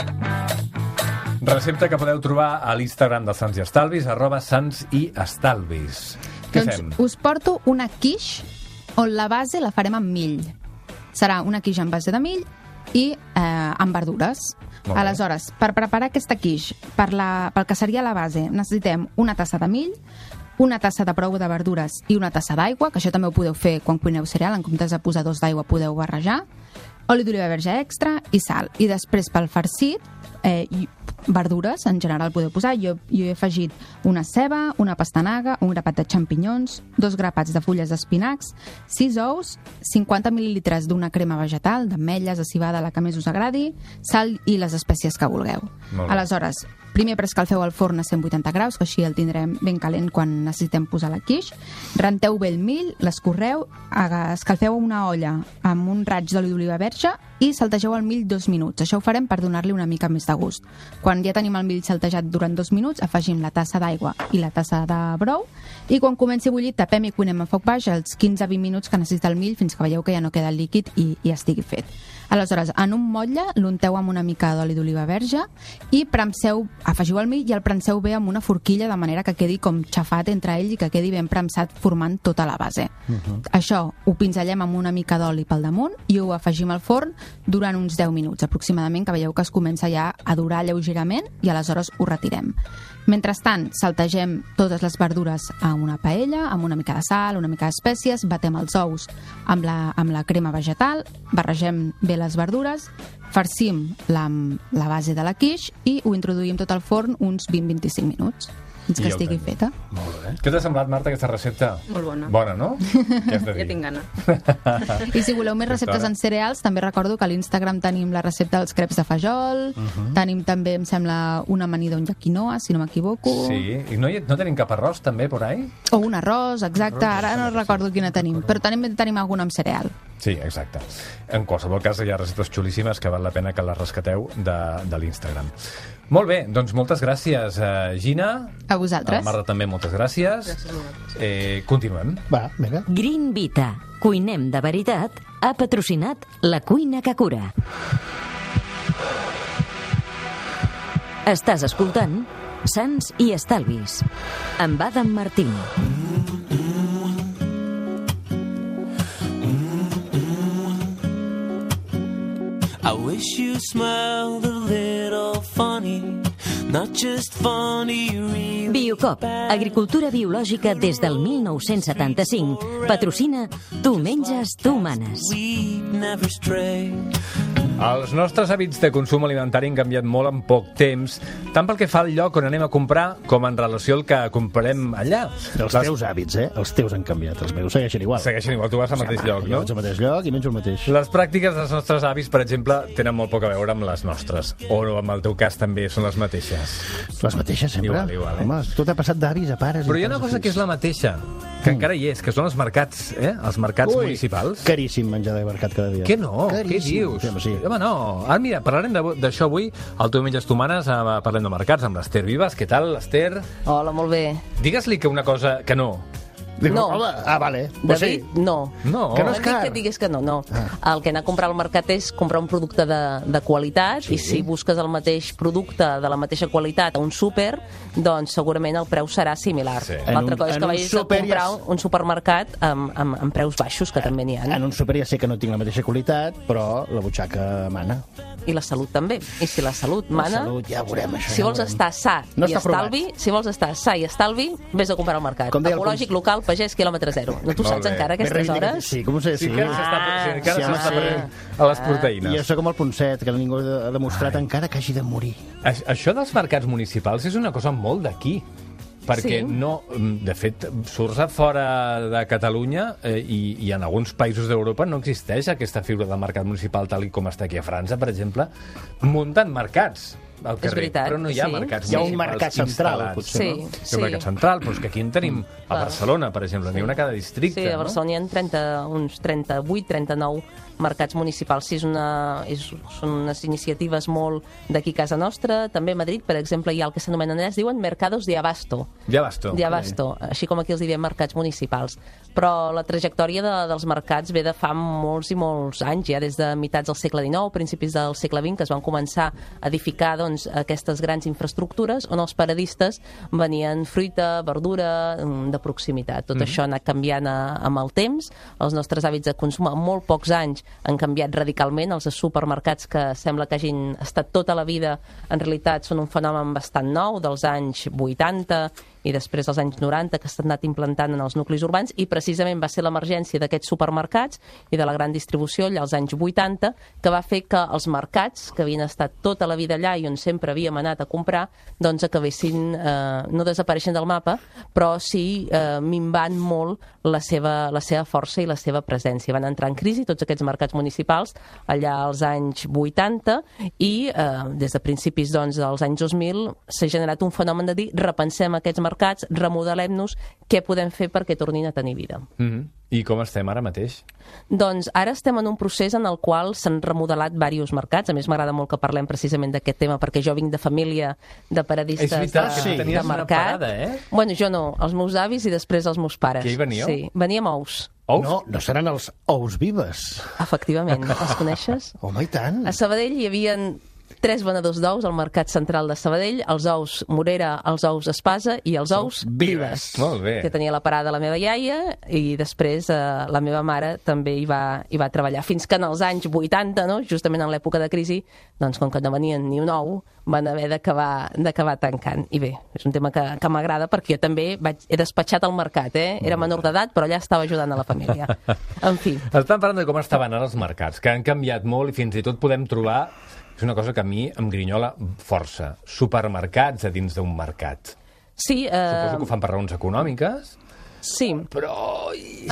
Recepta que podeu trobar a l'Instagram de Sants i Estalvis, @santsiestalvis. Què fem? Us porto una quiche on la base la farem amb mill. Serà una quiche amb base de mill i amb verdures. Aleshores, per preparar aquesta quiche, pel que seria la base, necessitem una tassa de mill, una tassa de prou de verdures i una tassa d'aigua, que això també ho podeu fer quan cuineu cereal, en comptes de posar 2 d'aigua podeu barrejar, oli d'oliva verge extra i sal. I després, pel farcit, verdures, en general podeu posar. Jo he afegit una ceba, una pastanaga, un grapat de xampinyons, 2 grapats de fulles d'espinacs, 6 ous, 50 mil·lilitres d'una crema vegetal, d'ametlles, de civada, la que més us agradi, sal i les espècies que vulgueu. Aleshores, primer preescalfeu el forn a 180 graus, que així el tindrem ben calent quan necessitem posar la quiche. Renteu bé el mill, l'escorreu, escalfeu una olla amb un raig d'oli d'oliva verge i saltegeu el mill 2 minuts. Això ho farem per donar-li una mica més de gust. Quan ja tenim el mill saltejat durant 2 minuts, afegim la tassa d'aigua i la tassa de brou i quan comenci a bullir tapem i cuinem a foc baix els 15-20 minuts que necessita el mill fins que veieu que ja no queda el líquid i estigui fet. Aleshores, en un motlle l'unteu amb una mica d'oli d'oliva verge i afegiu el mill i el premseu bé amb una forquilla de manera que quedi com xafat entre ell i que quedi ben premsat formant tota la base. Això ho pinzellem amb una mica d'oli pel damunt i ho afegim al forn durant uns 10 minuts aproximadament, que veieu que es comença ja a durar lleugerament i aleshores ho retirem. Mentrestant, saltegem totes les verdures a una paella, amb una mica de sal, una mica d'espècies, batem els ous amb la crema vegetal, barregem bé les verdures, farcim la base de la quiche i ho introduïm tot al forn uns 20-25 minuts fins que estigui feta. Molt bé. Què t'ha semblat, Marta, aquesta recepta? Molt bona. Bona, no? Ja tinc gana. I si voleu més receptes en cereals, també recordo que a l'Instagram tenim la recepta dels creps de fajol, tenim també, em sembla, una amanida de quinoa, si no m'equivoco. Sí, i no tenim cap arròs, també, por ahí? O un arròs, exacte, ara no recordo quina tenim, però tenim alguna amb cereal. Sí, exacte. En qualsevol cas, hi ha receptes xulíssimes que val la pena que les rescateu de l'Instagram. Molt bé, doncs moltes gràcies, Gina. A vosaltres. A Marta també, moltes gràcies. Gràcies a vosaltres. Continuem. Va, vinga. Green Vita, cuinem de veritat, ha patrocinat La Cuina que Cura. Estàs escoltant Sants i Estalvis amb Adam Martín. I wish you smiled a little funny not just funny, really. Biocop, agricultura biològica des del 1975. Patrocina Tu menges, tu manes. We never stray. Els nostres hàbits de consum alimentari han canviat molt en poc temps, tant pel que fa al lloc on anem a comprar com en relació al que comprem allà. Els teus hàbits, els teus han canviat. Els meus segueixen igual. Segueixen igual, tu vas al mateix lloc, Jo no? vaig al mateix lloc i menjo el mateix. Les pràctiques dels nostres avis, per exemple, tenen molt poc a veure amb les nostres. O en el teu cas també són les mateixes. Les mateixes, sempre? Igual, Home, tot ha passat d'avis a pares. Però hi ha una cosa que és la mateixa, que encara hi és, que són els mercats, els mercats municipals. Caríssim menjar de mercat cada dia. Què no? Caríssim. Què dius? Sí. Home, no. Ara, mira, parlarem d'això avui, al Tu menges tu manes, parlem de mercats amb l'Ester Vives. Què tal, Esther? Hola, molt bé. Digues-li que una cosa que no. No. Vale. David, no. No. Que no és M'han dit car. que et digués que no, no. El que anar a comprar al mercat és comprar un producte de qualitat, i si busques el mateix producte de la mateixa qualitat a un súper, doncs segurament el preu serà similar. Sí. L'altra En cosa és un que vagis a súper comprar ja un supermercat amb preus baixos, que també n'hi ha. En un súper ja sé que no tinc la mateixa qualitat, però la butxaca mana. I la salut també. I si la salut mana... La salut, ja ho veurem, això. Si vols estar sa No i està provat. estalvi, si vols estar sa i estalvi, vés a comprar al mercat. Com deia el Ecològic, local, pagès, quilòmetre zero. No t'ho Molt saps bé. encara, Ben aquestes reivindicat. hores? Sí, com ho sé, sí. Sí que encara sí, s'està sí. prenent a les proteïnes. I això com el Ponset, que ningú ha demostrat encara que hagi de morir. Això dels mercats municipals és una cosa molt d'aquí. Perquè Sí. no, de fet, surts a fora de Catalunya i en alguns països d'Europa no existeix aquesta figura del mercat municipal tal i com està aquí a França, per exemple. Munten mercats al carrer, veritat, però no hi ha sí. mercats Hi ha un municipals mercat central, instal·lats. potser, Sí, no? Hi ha sí. un mercat central, però és que aquí en tenim a Barcelona, per exemple, n'hi ha una a cada districte. Sí, a Barcelona hi ha uns 38, 39 mercats municipals. Sí, són unes iniciatives molt d'aquí a casa nostra. També a Madrid, per exemple, hi ha el que s'anomenen, es diuen mercados de abasto. Ja basto. De abasto, així com aquí els diem mercats municipals. Però la trajectòria dels mercats ve de fa molts i molts anys, ja des de meitats del segle XIX, principis del segle XX, que es van començar a edificar doncs, aquestes grans infraestructures on els paradistes venien fruita, verdura, de proximitat. Tot això ha anat canviant amb el temps. Els nostres hàbits de consum en molt pocs anys han canviat radicalment. Els supermercats, que sembla que hagin estat tota la vida, en realitat són un fenomen bastant nou, dels anys 80 i després dels anys 90, que s'han anat implantant en els nuclis urbans, i precisament va ser l'emergència d'aquests supermercats i de la gran distribució allà als anys 80 que va fer que els mercats, que havien estat tota la vida allà i on sempre havíem anat a comprar, doncs acabessin no desapareixent del mapa, però sí minvant molt la seva força i la seva presència. Van entrar en crisi tots aquests mercats municipals allà als anys 80 i des de principis doncs, dels anys 2000 s'ha generat un fenomen de dir repensem aquests mercats, remodelem-nos, què podem fer perquè tornin a tenir vida. I com estem ara mateix? Doncs ara estem en un procés en el qual s'han remodelat diversos mercats. A més, m'agrada molt que parlem precisament d'aquest tema, perquè jo vinc de família de paradistes És veritat, que de tenies una mercat. parada, Bueno, jo no, els meus avis i després els meus pares. Que hi veníeu? Sí, veníem ous, Ous? No seran els ous vives. efectivament. Els coneixes? Home, i tant. A Sabadell hi havia 3 venedors d'ous al Mercat Central de Sabadell, els ous Morera, els ous Espasa i els ous Vives. Molt bé. Que tenia la parada la meva iaia i després la meva mare també hi va treballar. Fins que en els anys 80, no? Justament en l'època de crisi, doncs com que no venien ni un ou, van haver d'acabar tancant. I bé, és un tema que m'agrada perquè jo també he despatxat al mercat, Era menor d'edat, però allà estava ajudant a la família. En fi. Estem parlant de com estaven ara els mercats, que han canviat molt i fins i tot podem trobar, és una cosa que a mi em grinyola força, supermercats a dins d'un mercat. Sí, Suposo que ho fan per raons econòmiques, sí. però...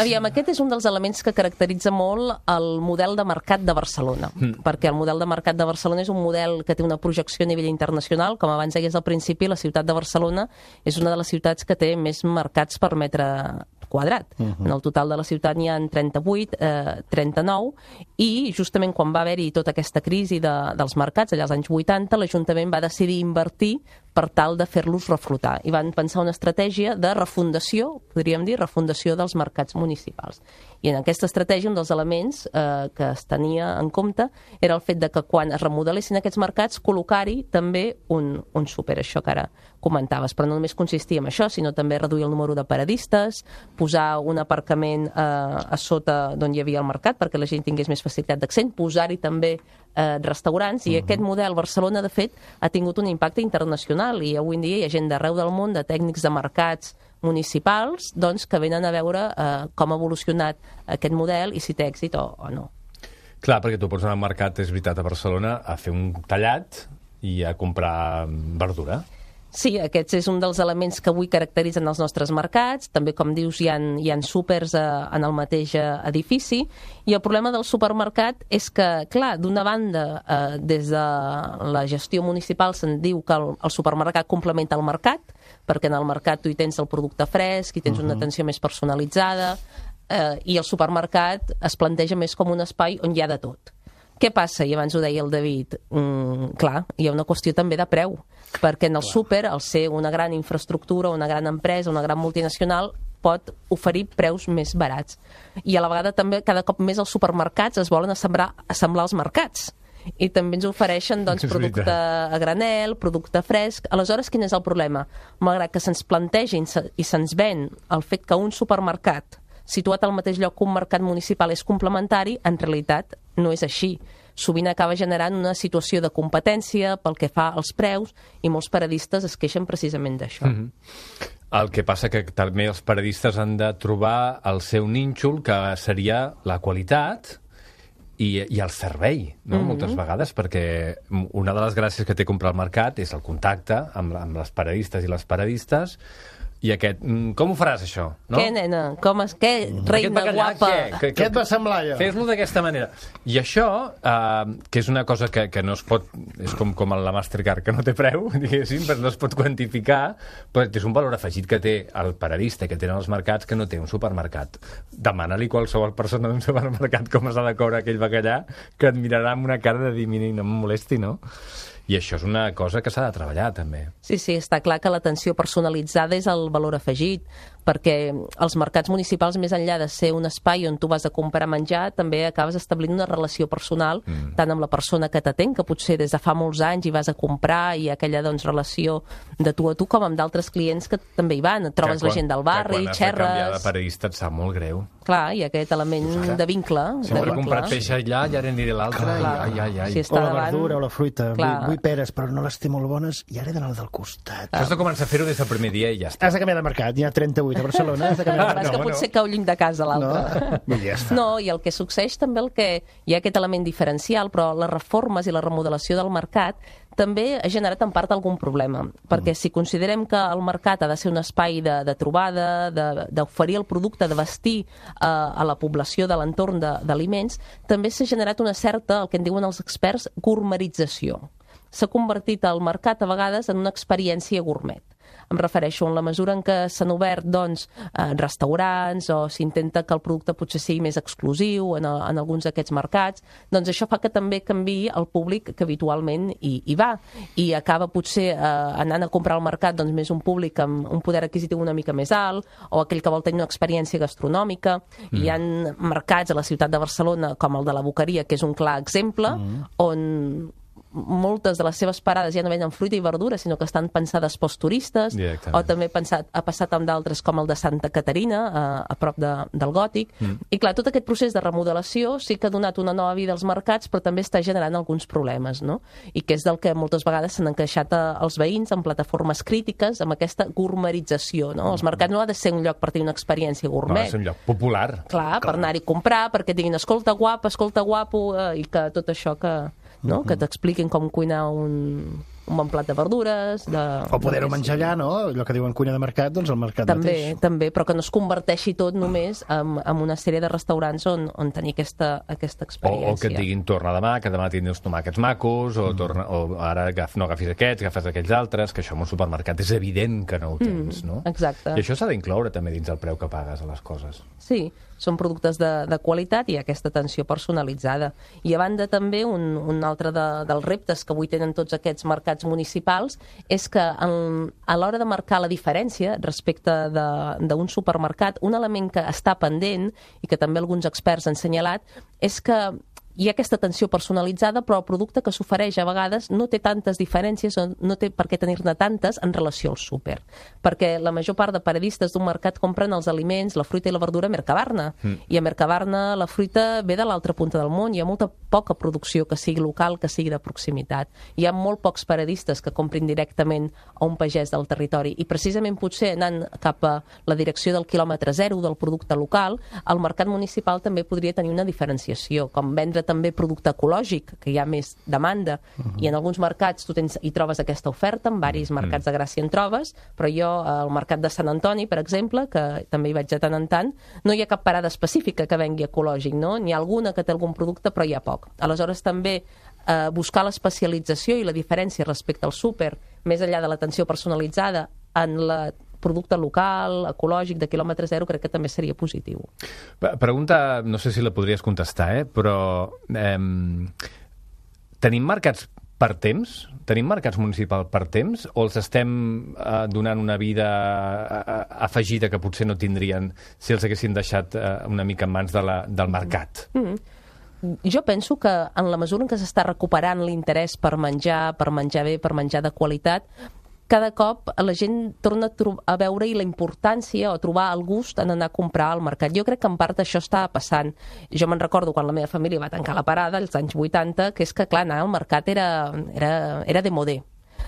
Aviam, aquest és un dels elements que caracteritza molt el model de mercat de Barcelona, perquè el model de mercat de Barcelona és un model que té una projecció a nivell internacional. Com abans deies al principi, la ciutat de Barcelona és una de les ciutats que té més mercats per metre quadrat. En el total de la ciutat n'hi ha 38, 39, i justament quan va haver-hi tota aquesta crisi dels mercats, allà als anys 80, l'Ajuntament va decidir invertir per tal de fer-los reflotar. I van pensar una estratègia de refundació, podríem dir, refundació dels mercats municipals. I en aquesta estratègia un dels elements que es tenia en compte era el fet de que quan es remodelessin aquests mercats col·locar-hi també un súper, això que ara comentaves, però no només consistia en això, sinó també reduir el número de paradistes, posar un aparcament a sota d'on hi havia el mercat perquè la gent tingués més facilitat d'accés, posar-hi també restaurants, i aquest model Barcelona, de fet, ha tingut un impacte internacional, i avui en dia hi ha gent d'arreu del món, de tècnics de mercats municipals, doncs, que venen a veure com ha evolucionat aquest model i si té èxit o no. Clar, perquè tu pots anar al mercat, és veritat, a Barcelona, a fer un tallat i a comprar verdura. Sí, aquest és un dels elements que avui caracteritzen els nostres mercats. També, com dius, hi ha súpers en el mateix edifici. I el problema del supermercat és que, clar, d'una banda, des de la gestió municipal se'n diu que el supermercat complementa el mercat, perquè en el mercat tu hi tens el producte fresc, hi tens una atenció més personalitzada, i el supermercat es planteja més com un espai on hi ha de tot. Què passa? I abans ho deia el David. Clar, hi ha una qüestió també de preu, perquè en el súper, al ser una gran infraestructura, una gran empresa, una gran multinacional, pot oferir preus més barats. I a la vegada també cada cop més els supermercats es volen assemblar als mercats. I també ens ofereixen producte a granel, producte fresc. Aleshores, quin és el problema? Malgrat que se'ns planteja i se'ns ven el fet que un supermercat situat al mateix lloc que un mercat municipal és complementari, en realitat no és així. Sovint acaba generant una situació de competència pel que fa als preus, i molts paradistes es queixen precisament d'això. El que passa que també els paradistes han de trobar el seu nínxol, que seria la qualitat i el servei, no? Moltes vegades, perquè una de les gràcies que té comprar al mercat és el contacte amb les paradistes i les paradistes. I aquest, com ho faràs, això? No? Què, nena? Què? Reina guapa? Què et va semblar, allò? Fes-lo d'aquesta manera. I això, que és una cosa que no es pot... És com la Mastercard, que no té preu, diguéssim, però no es pot quantificar, però és un valor afegit que té el paradista, que tenen els mercats, que no té un supermercat. Demana-li qualsevol persona d'un supermercat com s'ha de coure aquell bacallà, que et mirarà amb una cara de dir, mira, no em molesti, no? I això és una cosa que s'ha de treballar, també. Sí, està clar que l'atenció personalitzada és el valor afegit, perquè els mercats municipals, més enllà de ser un espai on tu vas a comprar menjar, també acabes establint una relació personal, tant amb la persona que t'atén, que potser des de fa molts anys hi vas a comprar, i aquella relació de tu a tu, com amb d'altres clients que també hi van. Et trobes la gent del barri, xerres... Que quan has de canviar de paradista et sap molt greu. Clar, i aquest element de vincle. Si m'he comprat peix allà, ja aniré a l'altre. Si o la verdura o la fruita. Vull peres, però no les té molt bones, i ara he d'anar al del costat. Has de començar a fer-ho des del primer dia i ja està. Has de canviar de mercat, hi ha 38 a Barcelona. Has de canviar de mercat. És que potser cau lluny de casa l'altre. No, i el que succeeix també hi ha aquest element diferencial, però les reformes i la remodelació del mercat també ha generat en part algun problema, perquè si considerem que el mercat ha de ser un espai de trobada, d'oferir el producte, de vestir a la població de l'entorn d'aliments, també s'ha generat una certa, el que en diuen els experts, gourmetització. S'ha convertit el mercat a vegades en una experiència gourmet. Em refereixo en la mesura en què s'han obert restaurants, o s'intenta que el producte potser sigui més exclusiu en alguns d'aquests mercats, doncs això fa que també canviï el públic que habitualment hi va, i acaba potser anant a comprar al mercat més un públic amb un poder adquisitiu una mica més alt, o aquell que vol tenir una experiència gastronòmica. Hi ha mercats a la ciutat de Barcelona, com el de la Boqueria, que és un clar exemple, on moltes de les seves parades ja no venen fruita i verdura, sinó que estan pensades pels turistes, o també ha passat amb d'altres com el de Santa Caterina, a prop del Gòtic. I clar, tot aquest procés de remodelació sí que ha donat una nova vida als mercats, però també està generant alguns problemes, no? I que és del que moltes vegades s'han encaixat els veïns en plataformes crítiques amb aquesta gourmetització, no? Els mercats no ha de ser un lloc per tenir una experiència gourmet. No, ha de ser un lloc popular. Clar, per anar-hi a comprar, perquè diguin escolta guapo, i que tot això que t'expliquin com cuinar un bon plat de verdures... O poder-ho menjar allà, no? Allò que diuen cuina de mercat, doncs el mercat mateix. També, però que no es converteixi tot només en una sèrie de restaurants on tenir aquesta experiència. O que et diguin torna demà, que demà tindràs tomàquets macos, o ara no agafis aquests, agafes aquells altres, que això en un supermercat és evident que no ho tens, no? Exacte. I això s'ha d'incloure també dins el preu que pagues a les coses. Sí, són productes de qualitat i aquesta atenció personalitzada. I a banda també un altre dels reptes que avui tenen tots aquests mercats municipals és que a l'hora de marcar la diferència respecte d'un supermercat, un element que està pendent i que també alguns experts han assenyalat és que hi ha aquesta atenció personalitzada, però el producte que s'ofereix a vegades no té tantes diferències o no té per què tenir-ne tantes en relació al súper. Perquè la major part de paradistes d'un mercat compren els aliments, la fruita i la verdura a Mercabarna. I a Mercabarna la fruita ve de l'altra punta del món. Hi ha molta poca producció que sigui local, que sigui de proximitat. Hi ha molt pocs paradistes que comprin directament a un pagès del territori. I precisament potser anant cap a la direcció del quilòmetre zero del producte local, el mercat municipal també podria tenir una diferenciació, com vendre també producte ecològic, que hi ha més demanda, i en alguns mercats tu hi trobes aquesta oferta, en varis mercats de Gràcia en trobes, però jo al mercat de Sant Antoni, per exemple, que també hi vaig de tant en tant, no hi ha cap parada específica que vengui ecològic, no? N'hi ha alguna que té algun producte, però hi ha poc. Aleshores també buscar l'especialització i la diferència respecte al súper, més enllà de l'atenció personalitzada en la producte local, ecològic, de quilòmetre zero, crec que també seria positiu. Pregunta, no sé si la podries contestar, però tenim mercats per temps? Tenim mercats municipals per temps? O els estem donant una vida afegida que potser no tindrien si els haguessin deixat una mica en mans del mercat? Jo penso que en la mesura en què s'està recuperant l'interès per menjar bé, per menjar de qualitat, cada cop la gent torna a veure la importància o trobar el gust en anar a comprar al mercat. Jo crec que en part això està passant. Jo me'n recordo quan la meva família va tancar la parada, als anys 80, que és que, clar, anar al mercat era de modé.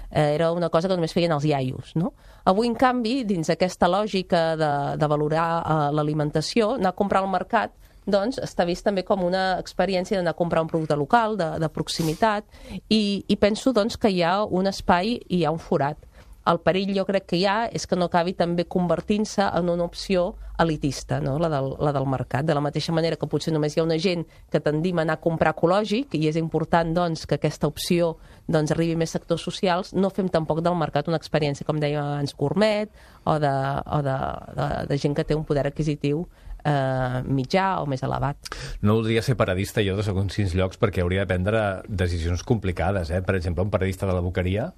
Era una cosa que només feien els iaios, no? Avui, en canvi, dins aquesta lògica de valorar l'alimentació, anar a comprar al mercat doncs està vist també com una experiència d'anar a comprar un producte local, de proximitat, i penso doncs, que hi ha un espai i hi ha un forat. El perill jo crec que hi ha és que no acabi també convertint-se en una opció elitista, no? la del mercat. De la mateixa manera que potser només hi ha una gent que tendim a anar a comprar ecològic, i és important doncs, que aquesta opció doncs, arribi a més sectors socials, no fem tampoc del mercat una experiència, com deia abans, gourmet, o de gent que té un poder adquisitiu mitjà o més elevat. No voldria ser paradista jo de segons quins llocs perquè hauria de prendre decisions complicades. Per exemple, un paradista de la Boqueria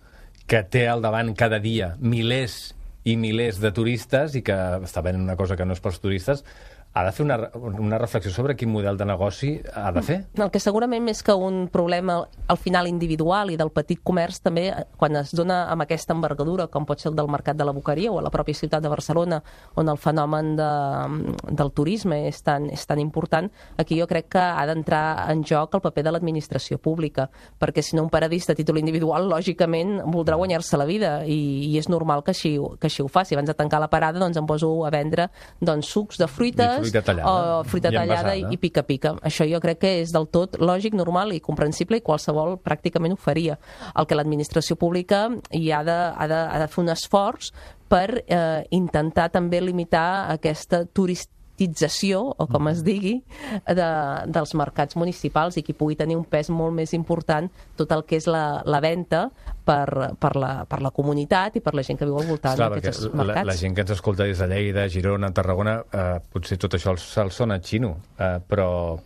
que té al davant cada dia milers i milers de turistes i que està venent una cosa que no és pels turistes, ha de fer una reflexió sobre quin model de negoci ha de fer. El que segurament més que un problema al final individual i del petit comerç, també quan es dona amb aquesta envergadura, com pot ser el del mercat de la Boqueria o a la pròpia ciutat de Barcelona, on el fenomen del turisme és tan important, aquí jo crec que ha d'entrar en joc el paper de l'administració pública, perquè si no un paradista a títol individual, lògicament voldrà guanyar-se la vida i és normal que així ho faci. Abans de tancar la parada doncs em poso a vendre sucs de fruita o fruita tallada i pica-pica. Això jo crec que és del tot lògic, normal i comprensible i qualsevol pràcticament ho faria. El que l'administració pública hi ha de fer un esforç per intentar també limitar aquesta turisització, o com es digui, dels mercats municipals i que pugui tenir un pes molt més important tot el que és la venda per la comunitat i per la gent que viu al voltant d'aquests mercats. La gent que ens escolta des de Lleida, Girona, Tarragona, potser tot això se'ls sona xino, però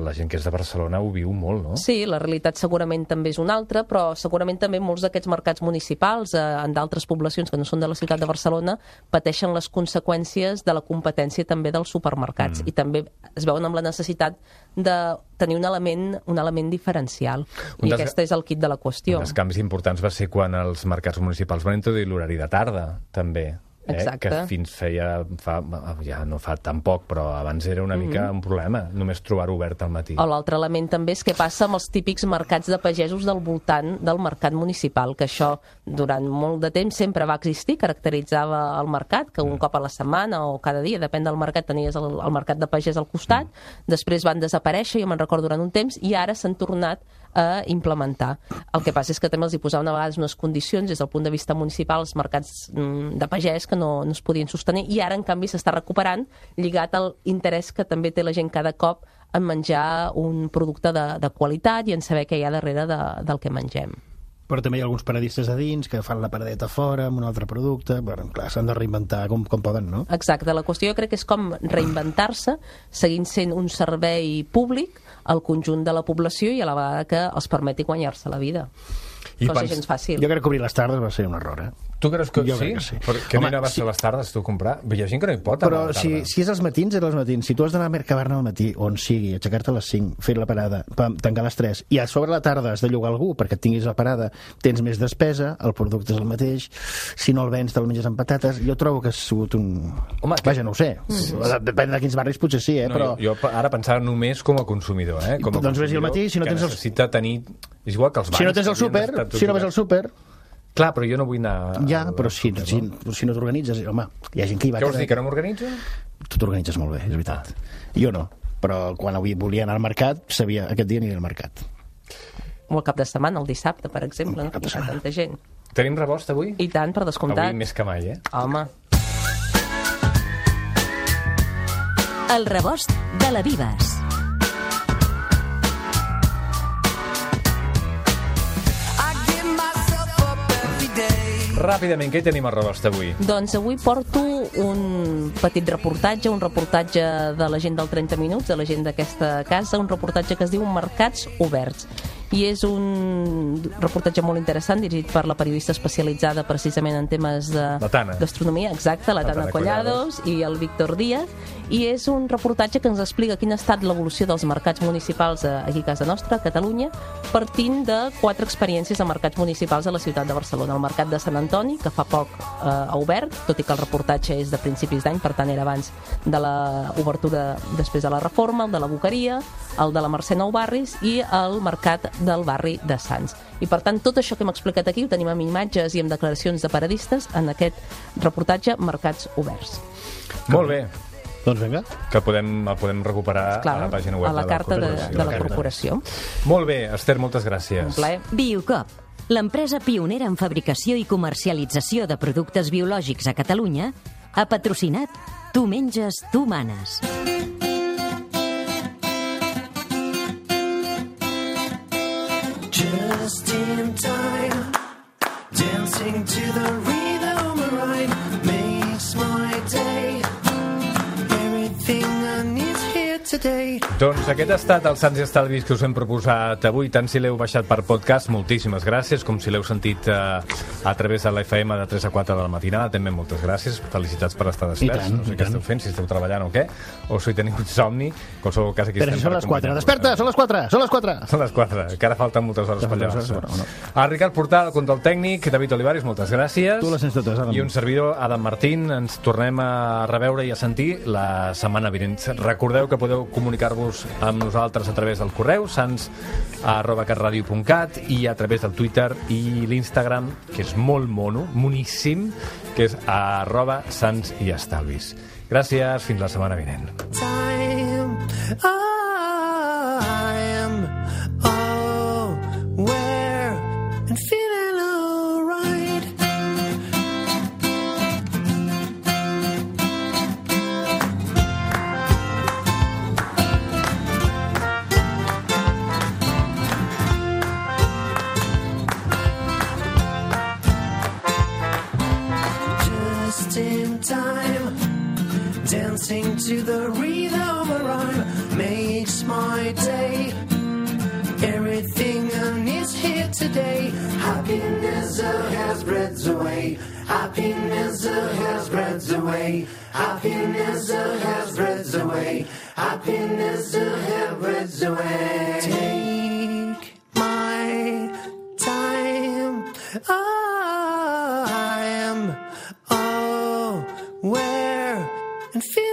la gent que és de Barcelona ho viu molt, no? Sí, la realitat segurament també és una altra, però segurament també molts d'aquests mercats municipals en d'altres poblacions que no són de la ciutat de Barcelona pateixen les conseqüències de la competència també dels supermercats i també es veuen amb la necessitat de tenir un element diferencial. I aquest és el quit de la qüestió. Un dels canvis importants va ser quan els mercats municipals van introduir l'horari de tarda, també. Que fins ja no fa tan poc, però abans era una mica un problema, només trobar-ho obert al matí. O l'altre element també és què passa amb els típics mercats de pagesos del voltant del mercat municipal, que això durant molt de temps sempre va existir, caracteritzava el mercat, que un cop a la setmana o cada dia, depèn del mercat, tenies el mercat de pagès al costat, després van desaparèixer, jo me'n recordo durant un temps, i ara s'han tornat a implementar. El que passa és que també els hi posaven a vegades unes condicions des del punt de vista municipal, els mercats de pagès que no es podien sostenir, i ara en canvi s'està recuperant lligat al interès que també té la gent cada cop en menjar un producte de qualitat i en saber què hi ha darrere del que mengem. Però també hi ha alguns paradistes a dins que fan la paradeta fora amb un altre producte. Bueno, clar, s'han de reinventar com poden, no? Exacte. La qüestió jo crec que és com reinventar-se seguint sent un servei públic al conjunt de la població i a la vegada que els permeti guanyar-se la vida. Cosa gens fàcil. Jo crec que obrir les tardes va ser un error, Tu creus que Jo sí? crec que sí. Perquè Home, no vas a les tardes, tu, a comprar? Hi ha gent que no hi pot. Però si és als matins, és als matins. Si tu has d'anar a Mercabarna al matí, on sigui, aixecar-te a les 5, fer la parada, tancar a les 3, i a sobre la tarda has de llogar algú perquè et tinguis la parada, tens més despesa, el producte és el mateix, si no el vens te'l menges amb patates. Jo trobo que ha sigut un... Home, vaja, no ho sé. Depèn de quins barris potser sí, però... Jo ara pensava només com a consumidor, Com a doncs vés-hi al matí, si no que tens necessita tenir... És igual que els bancs. Si no tens el súper, si no vas al súper... Clar, però jo no vull anar... Ja, però si no t'organitzes... Home, hi ha gent que hi va... Què vols dir, que no m'organitzo? Tu t'organitzes molt bé, és veritat. Jo no, però quan avui volia anar al mercat, sabia aquest dia aniré al mercat. O el cap de setmana, el dissabte, per exemple, no? Que hi ha tanta gent. Tenim rebost avui? I tant, per descomptat. Avui més que mai, Home. El rebost de la Vives. Ràpidament, què hi tenim a rebost avui? Doncs avui porto un petit reportatge, un reportatge de la gent del 30 minuts, de la gent d'aquesta casa, un reportatge que es diu Mercats Oberts. I és un reportatge molt interessant, dirigit per la periodista especialitzada precisament en temes de gastronomia, exacte, la Tana Collados i el Víctor Díaz, i és un reportatge que ens explica quina ha estat l'evolució dels mercats municipals aquí a casa nostra, a Catalunya, partint de 4 experiències de mercats municipals a la ciutat de Barcelona. El Mercat de Sant Antoni, que fa poc ha obert, tot i que el reportatge és de principis d'any, per tant era abans de l'obertura després de la reforma, el de la Boqueria, el de la Mercè Nou Barris i el Mercat del barri de Sants. I per tant, tot això que hem explicat aquí ho tenim amb imatges i amb declaracions de paradistes en aquest reportatge Mercats Oberts. Molt bé. Doncs vinga. Que el podem recuperar a la pàgina web a la carta de la corporació. Molt bé, Esther, moltes gràcies. Un plaer. Biocop, l'empresa pionera en fabricació i comercialització de productes biològics a Catalunya, ha patrocinat Tu menges, tu manes. Just in time, dancing to the rhythm of rhyme makes my day. Everything I need here today. Doncs aquest ha estat el Sants i Estalvis que us hem proposat avui. Tant si l'heu baixat per podcast, moltíssimes gràcies, com si l'heu sentit a través de l'FM de 3 a 4 de la matinada, també moltes gràcies. Felicitats per estar desperts. No sé què esteu fent, si esteu treballant o què, o si teniu insomni. En qualsevol cas, aquí però estem. Però són les 4. Desperta, són les 4, són les 4. Són les 4, que ara falten moltes hores per llevar-se. El Ricard Portal, el control tècnic, David Olivares, moltes gràcies. Tu les sents totes, Adam. I un servidor, Adam Martín. Ens tornem a reveure i a sentir la setmana vinent. Recordeu que podeu comunicar-vos amb nosaltres a través del correu sans@catradio.cat i a través del Twitter i l'Instagram, que és molt moníssim, que és @sansiestalvis. Gràcies, fins la setmana vinent. And feeling alright. Just in time, dancing to the rhythm of rhyme makes my day. Everything I need here today. Happiness has spreads away. Happiness has spreads away. Happiness has spreads away. Happiness has spreads away. Take my time. I am aware and feel